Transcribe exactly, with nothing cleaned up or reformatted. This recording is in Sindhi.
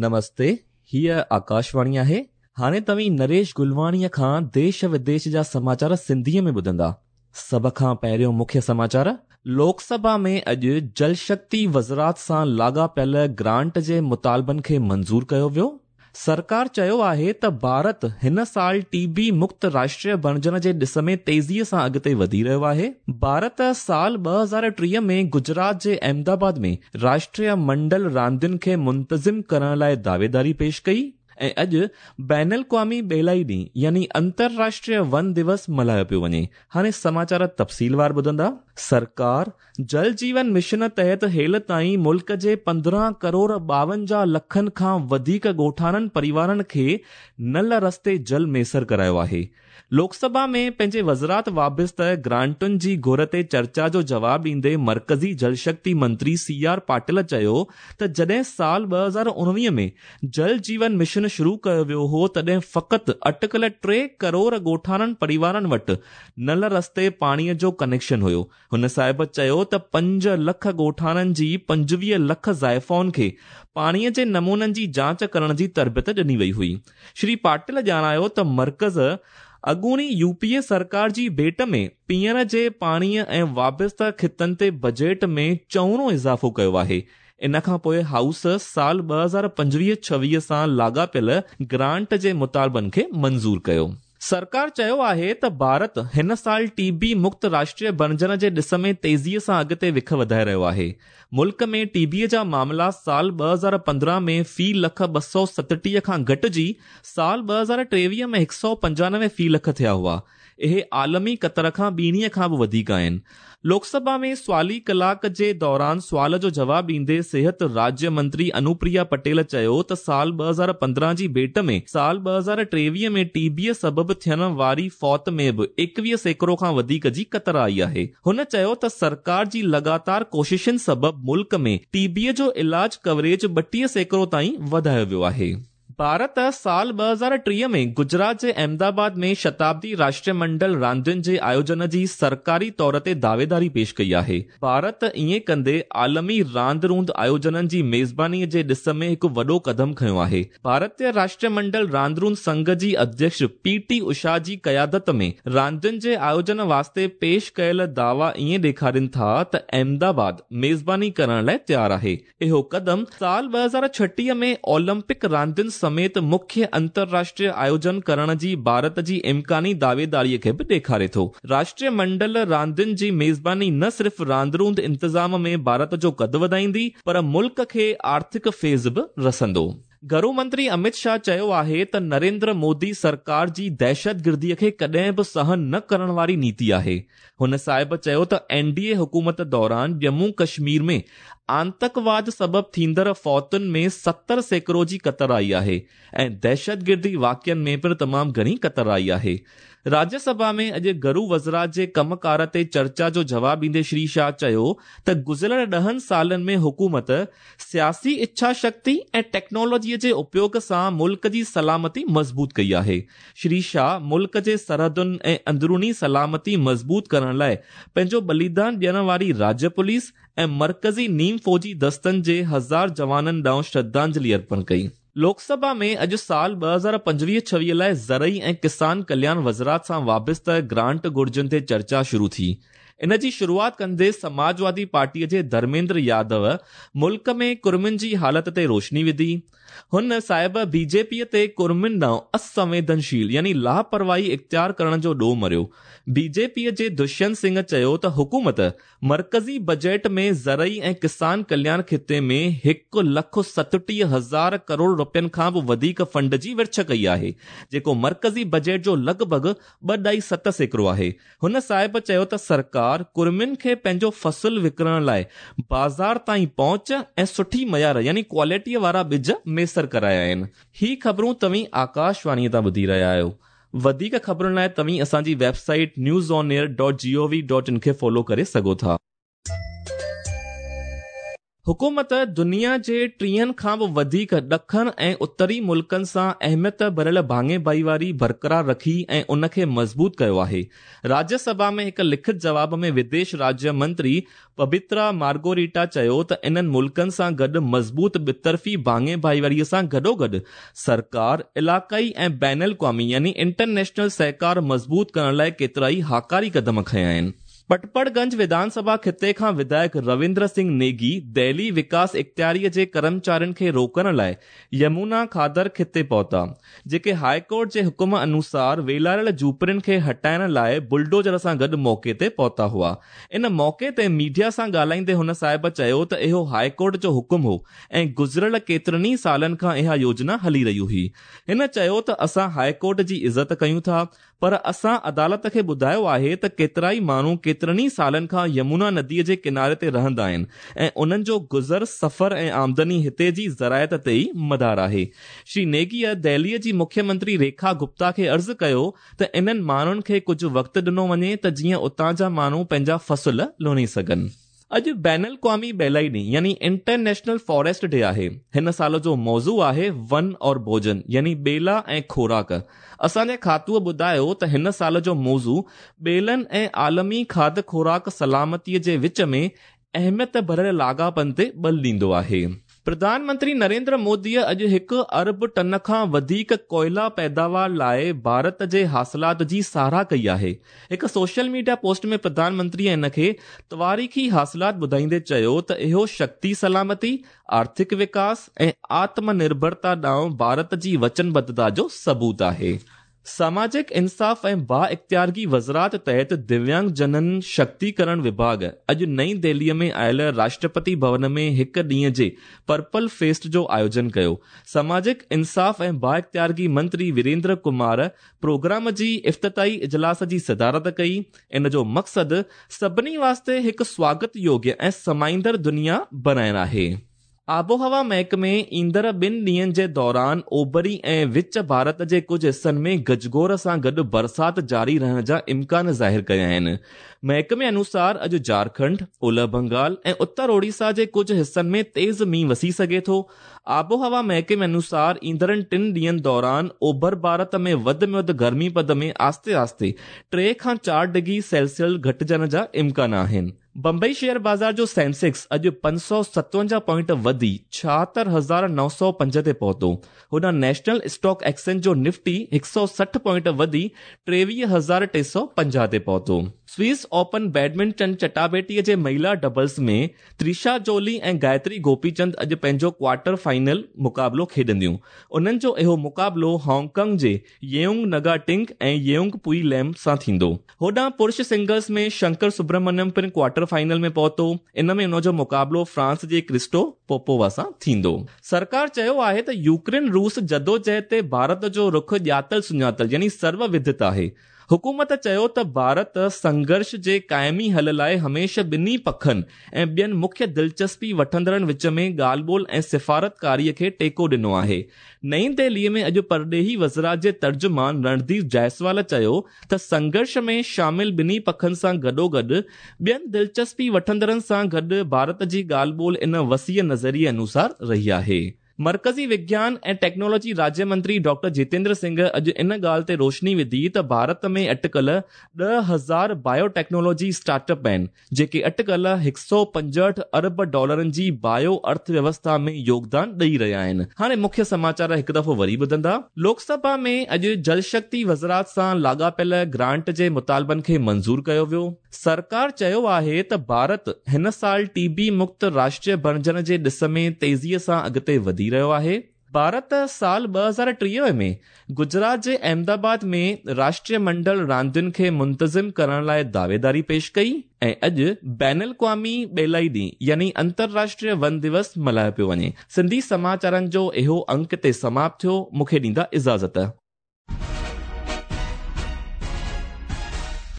نمستي، هيء آڪاشواڻي آهي. هاڻي توهين نريش گلواڻيء کان ديش وديش جا سماچار سنڌيء ۾ ٻڌندا. سڀ کان پهريون مکيه سماچار، لوڪ سڀا ۾ اڄ جل شڪتي وزارت سان لاڳاپيل گرانٽ جي مطالبن کي منظور ڪيو ويو. سرڪار چيو آهي ته ڀارت هن سال ٽي بي مڪت راشٽر بڻجڻ جي ڏس ۾ تيزيء سان اڳتي وڌي رهيو آهي. ڀارت سال ٻه هزار ٽيهه ۾ گجرات جي احمدآباد ۾ راشٽريه منڊل راندين کي منتظم ڪرڻ لاء دعويداري پيش ڪئي ۽ اڄ بين الاقوامي ٻيلائي ڏينهن يعني انترراشٽريه ون دوس ملهايو پيو وڃي. هاڻي سماچار تفصيلوار ٻڌندا. سرڪار جل جيون مشن تحت هيل تائين ملڪ جي پندرهن ڪروڙ ٻاونجاهه لکن کان وڌيڪ ڳوٺاڻن پريوارن کي نل رستي جل ميسر ڪرايو آهي. لوڪ سڀا ۾ پنهنجي وزارت وابسته گرانٽن جي گهر تي چرچا جو جواب ڏيندي مرڪزي جل شڪتي منتري سي آر پاٽل چيو ته جڏهن سال ٻه هزار اڻويهه ۾ جل جيون مشن شروع ڪيو ويو هو تڏهن فقط اٽڪل ٽي ڪروڙ ڳوٺاڻن پريوارن وٽ نل رستي پاڻيء جو ڪنيڪشن هيو. هن صاحب چيو ته پنج لک ڳوٺاڻن جي پنجويهه لک زائفائن کي پاڻيء جي نمونن جي جاچ ڪرڻ جي تربيت ڏني وئي هئي. شري پاٽل ڄاڻايو ته مرڪز اڳوڻي يو پي اي سرڪار جي ڀيٽ ۾ پيئڻ جي پاڻيء ۽ وابسته خطن تي بجيٽ ۾ چئوڻو اضافو ڪيو آهي. ان کان پوءِ هائوس سال ٻه هزار پنجويهه ڇويهه سان لاڳاپيل گرانٽ جي مطالبن کي منظور ڪيو. سرڪار چيو آهي ته ڀارت هن سال ٽي بي مڪت راشٽر بڻجڻ جي ڏس ۾ تيزيء سان اڳتي وک وڌائي رهيو آهي. ملڪ ۾ ٽي بيء جا معاملا سال ٻه هزار پندرهن ۾ في لک ٻه سؤ ستٽيهه کان گهٽجي سال ٻه هزار ٽيويهه ۾ هڪ سؤ پنجانوي في لک ٿيا هئا. اهي عالمي قطر کان ٻيڻيء کان به وڌيڪ آهن. لوڪ سڀا ۾ سوالي ڪلاڪ جي دوران سوال جو جواب ڏيندي صحت راجيه منتري انوپريا پٽيل چيو ته سال ٻه هزار پندرهن جي ڀيٽ ۾ سال ٻه هزار ٽيويهه ۾ ٽي بيء سبب ٿيڻ واري فوت ۾ به ايڪويهه سيڪڙو کان وڌيڪ جي ڪتر آئي آهي. هن چيو ته سرڪار جي لڳاتار ڪوششن سبب ملڪ ۾ ٽي بيء جو علاج ڪوريج ٻٽيهه سيڪڙو تائين وڌايو ويو آهي. ڀارت سال ٻه هزار ٽيهه ۾ گجرات جي احمدآباد ۾ شتابدي راشٽر منڊل راندين جي آيوجن جي سرڪاري طور تي دعويداري پيش ڪئي آهي. ڀارت ائين ڪندي عالمي راند روند آيوجنن جي ميزبانيءَ جي ڏس ۾ هڪ وڏو قدم کنيو آهي. ڀارتيه راشٽر منڊل راند روند سنگهه جي اڌيڪش پي ٽي اوشا جي قيادت ۾ راندين جي آيوجن واسطي پيش ڪيل دعوا ائين ڏيکارين ٿا ته احمدآباد ميزباني ڪرڻ لاءِ تيار آهي. اهو قدم سال ٻه هزار ڇٽيهه ۾ اولمپڪ راندين سميت مکيه انترراشٽريه آيوجن ڪرڻ جي ڀارت جي امڪاني دعويداريءَ کي به ڏيکاري ٿو. راشٽريه منڊل راندين جي ميزباني نه صرف راند روند انتظام ۾ ڀارت جو قد وڌائيندي پر ملڪ کي آرٿڪ فيض به رسندو. گهرو منتري امت شاهه چيو آهي ته نريندر مودي سرڪار جي دهشتگرديءَ کي ڪڏهن به سهن نه ڪرڻ واري نيتي آهي. هن صاحب چيو ته اين ڊي اي حڪومت دوران ڄمون ڪشمير ۾ آتنڪواد سبب ٿيندڙ فوتن ۾ ستر سيڪڙو جي ڪتر آئي آهي ۽ دهشتگردي واقعن ۾ پڻ تمام گهڻي ڪتر آئي آهي. راجيه سڀا ۾ اڄ گهرو وزارت جي ڪم ڪار تي چرچا جو جواب ڏيندي شري شاهه چيو ته گذريل ڏهن سالن ۾ حڪومت سياسي اڇا شڪتي ۽ ٽيڪنالاجيءَ جي اپيوگ سان ملڪ جي سلامتي مضبوط ڪئي آهي. شري شاهه ملڪ جي سرحدن ۽ اندروني سلامتي مضبوط ڪرڻ لاءِ پنهنجو ٻليدان ڏيڻ واري راجيه پوليس ۽ مرڪزي نيم فوجي دستن جي هزار جوانن ڏانهن شرڌانجلي ارپڻ ڪئي. لوڪ سڀا ۾ اڄ سال ٻه هزار پنجويهه ڇويهه لاءِ زرعي ۽ ڪسان ڪلياڻ وزارت سان وابسته گرانٽ گهرجن تي چرچا شروع ٿي. ان جي شروعات ڪندي سماجوادي پارٽيءَ جي ڌرميندر يادو ملڪ ۾ ڪرمين جي حالت تي روشني وڌي. هن صاحب بي جي پيءَ تي ڪرمين ڏانهن اسنويدنشيل يعني لاپرواهي اختيار ڪرڻ جو ڏوهه مڙهيو. بي جي پيءَ جي دشينت سنگهه چيو ته حڪومت مرڪزي بجيٽ ۾ زرعي ۽ ڪسان ڪلياڻ خطي ۾ هڪ لک ستٽيهه هزار ڪروڙ رپين کان به وڌيڪ فنڊ جي ورڇ ڪئي آهي، جيڪو مرڪزي بجيٽ جو لڳ ڀڳ ٻه ڏهائي ست سيڪڙو آهي. هن صاحب چيو ته سرڪار ڪرمين کي پنهنجو فصل وڪڻڻ لاءِ بازار تائين پهچ ۽ سٺي معيار يعني ڪوالٽيءَ وارا ٻج ميسر ڪرايا آهن. هي خبرون توهين آڪاشواڻيءَ تان ٻڌي رهيا آهيو. وڌيڪ خبرن لاءِ توهين اسان جي website news on air dot G O V dot in کي فالو ڪري سگهو ٿا. حڪومت دنيا جي ٽيهن کان به وڌيڪ ڏکڻ ۽ اتري ملڪن سان اهميت ڀريل ڀاڱي ڀائيواري برقرار رکي ۽ ان کي مضبوط ڪيو آهي. راجيه سڀا ۾ هڪ لکت جواب ۾ وديش راجيه منتري پبترا مارگوريٽا چيو ته انهن ملڪن سان گڏ مضبوط ٻطرفي ڀاڱي ڀائيواري سان گڏوگڏ سرڪار علائقائي ۽ بين الاقوامي يعني انٽرنيشنل سهڪار مضبوط ڪرڻ لاءِ ڪيترائي هاڪاري قدم کنيا آهن. پٽپڙگنج وڌان سڀا خطي کان وڌايڪ رويندر سنگهه نيگي دهلي وڪاس اختياريءَ جي ڪرمچارين کي روڪڻ لاءِ يمنا کادر خطي پهتا، جيڪي هاءِ ڪورٽ جي حڪم انوسار ويلاريل جهوپڙين کي هٽائڻ لاءِ بلڊوزر سان گڏ موقعي تي پهتا هئا. ان موقعي تي ميڊيا سان ڳالهائيندي هن صاحب چيو ته اهو هاءِ ڪورٽ جو حڪم هو ۽ گذريل ڪيترن ئي سالن کان اها يوجنا هلي رهي هئي. هن چيو ته اسان هاءِ ڪورٽ جي عزت ڪيون ٿا، پر اسان عدالت کي ٻڌايو آهي ته ڪيترائي ماڻهو ڪيترن ئي سالن کان يمنا نديءَ جي ڪناري تي رهندا آهن ۽ انهن جو گذر سفر ۽ آمدني هتي جي زراعت تي ئي مدار آهي. شري نيگيءَ دهليءَ جي مکيه منتري ريکا گپتا کي عرض ڪيو ته انهن ماڻهن کي ڪجهه وقت ڏنو وڃي ته جيئن اتان جا ماڻهو پنهنجا فصل لڻي سگهن. اڄ بين الاقوامي ٻيلائي ڏينهن يعني انٽرنيشنل فاريسٽ ڊي آهي. هن سال جو موضوع آهي ون اور ڀوجن يعني ٻيلا ۽ خوراڪ. اسان جي کاتوءَ ٻڌايو ته هن سال جو موضوع ٻيلن ۽ عالمي کاڌ خوراڪ سلامتيءَ جي وچ ۾ اهميت ڀريل لاڳاپن تي ٻل ڏيندو آهي. پرڌان منتري نريندر موديءَ اڄ هڪ ارب ٽن کان وڌيڪ ڪوئلا پيداوار لاءِ ڀارت جي حاصلات جي ساراهه ڪئي آهي. هڪ سوشل ميڊيا پوسٽ ۾ پرڌان منتريءَ ان کي تواريخي حاصلات ٻڌائيندي چيو ته اهو شڪتي سلامتي، آرٿڪ وڪاس ۽ آتم نرڀرتا ڏانهن ڀارت جي وچنبڌتا جو ثبوت آهي. ساماجڪ انصاف ۽ با اختيارگي وزارت تحت دويانگ جنن شڪتيڪرڻ وڀاڳ اڄ نئين دهليءَ ۾ آيل راشٽرپتي ڀون ۾ هڪ ڏينهن جي پرپل فيسٽ جو آيوجن ڪيو. ساماجڪ انصاف ۽ با اختيارگي منتري ويريندر ڪمار پروگرام جي افتتاحي اجلاس جي صدارت ڪئي. ان جو مقصد سڀني واسطي هڪ سواگت يوگيه ۽ سمائيندڙ دنيا بڻائڻ آهي. آبهوا محڪمي ايندڙ ٻن ڏينهن جي دوران اوڀري ۽ وچ ڀارت جي ڪجهه حصن ۾ گجگوڙ سان گڏ برسات جاري رهڻ جا امڪان ظاهر ڪيا آهن. محڪمي انوسار اڄ جهارکنڊ، اولهه بنگال ۽ اتر اوڙيسا جي ڪجهه حصن ۾ تيز مينهن وسي سگهي ٿو. آبهوا محڪمي انوسار ايندڙ ٽن ڏينهن دوران اوڀر ڀارت ۾ وڌ ۾ وڌ گرمي پد ۾ آهستي آهستي ٽي کان چار ڊگري سيلسيس گهٽجڻ جا امڪان آهن. بمبئي شيئر بازار جو سينسيڪس اڄ پنج سؤ ستونجاهه پوائنٽ وڌي ڇاهتر هزار نو سؤ پنج تي پهتو. هوڏانهن نيشنل اسٽاڪ ايڪسچينج جو نفٽي هڪ سؤ سٺ پوائنٽ وڌي ٽيويهه هزار ٽي سؤ پنجاهه تي پهتو. سوئس اوپن بيڊمنٽن چٽاڀيٽيءَ جي مهلا ڊبلز ۾ ترشا جولي ۽ گايتري گوپيچند اڄ پنهنجو ڪوارٽر فائنل مقابلو کيڏنديون. انهن جو اهو مقابلو هانگ ڪانگ جي ييونگ نگا ٽنگ ۽ ييونگ پوئي ليم سان ٿيندو. هوڏانهن پرش سنگلز ۾ شنڪر سبرمنيم پڻ ڪوارٽر فائنل ۾ پهتو. ان ۾ ان جو مقابلو فرانس جي ڪرسٽو پوپووا سان ٿيندو. سرڪار چيو آهي ته يوڪرين روس جدوجهد تي ڀارت جو رخ ڄاتل سڃاتل يعني سروودت آهي. حڪومت چيو ته ڀارت سنگهرش جي قائمي حل لاءِ هميشه ٻنهي پکن ۽ ٻين مکيه دلچسپي وٺندڙن وچ ۾ ڳالهه ٻولهه ۽ سفارتڪاريءَ کي ٽيڪو ڏنو آهي. نئين دهليءَ ۾ اڄ پرڏيهي وزارت جي ترجمان رڻڌير جائسوال چيو ته سنگهرش ۾ شامل ٻنهي پکن سان گڏوگڏ ٻين دلچسپي وٺندڙن سان گڏ ڀارت جي ڳالهه ٻولهه ان وسيع نظريي انوسار رهي آهي. مرڪزي وگيان ۽ ٽيڪنالاجي راجيه منتري ڊاڪٽر جتيندر سنگهه اڄ ان ڳالهه تي روشني وڌي ته ڀارت ۾ اٽڪل ڏهه هزار بايوٽيڪنالاجي اسٽارٽ اپ آهن، جيڪي اٽڪل هڪ سؤ پنجهٺ ارب ڊالرن جي بايو ارٿويوسٿا ۾ يوگدان ڏيئي رهيا آهن. هاڻي مکيه سماچار هڪ دفعو وري ٻڌندا. لوڪ سڀا ۾ اڄ جل شڪتي وزارت سان لاڳاپيل گرانٽ جي مطالبن کي منظور ڪيو ويو. سرڪار چيو آهي ته ڀارت هن سال ٽي بي مڪت راشٽر بڻجڻ جي ڏس ۾ تيزيءَ سان اڳتي وڌي رهيو آهي. ڀارت سال ٻه هزار ٽيهه ۾ گجرات جي احمدآباد ۾ راشٽريه منڊل راندين کي منتظم ڪرڻ لاءِ دعويداري پيش ڪئي ۽ اڄ بين الاقوامي ٻيلائي ڏينهن يعني انترراشٽريه ون دوس ملهايو پيو وڃي. سنڌي سماچارن جو اهو انڪ تي سماپت ٿيو. مون کي ڏيندا اجازت.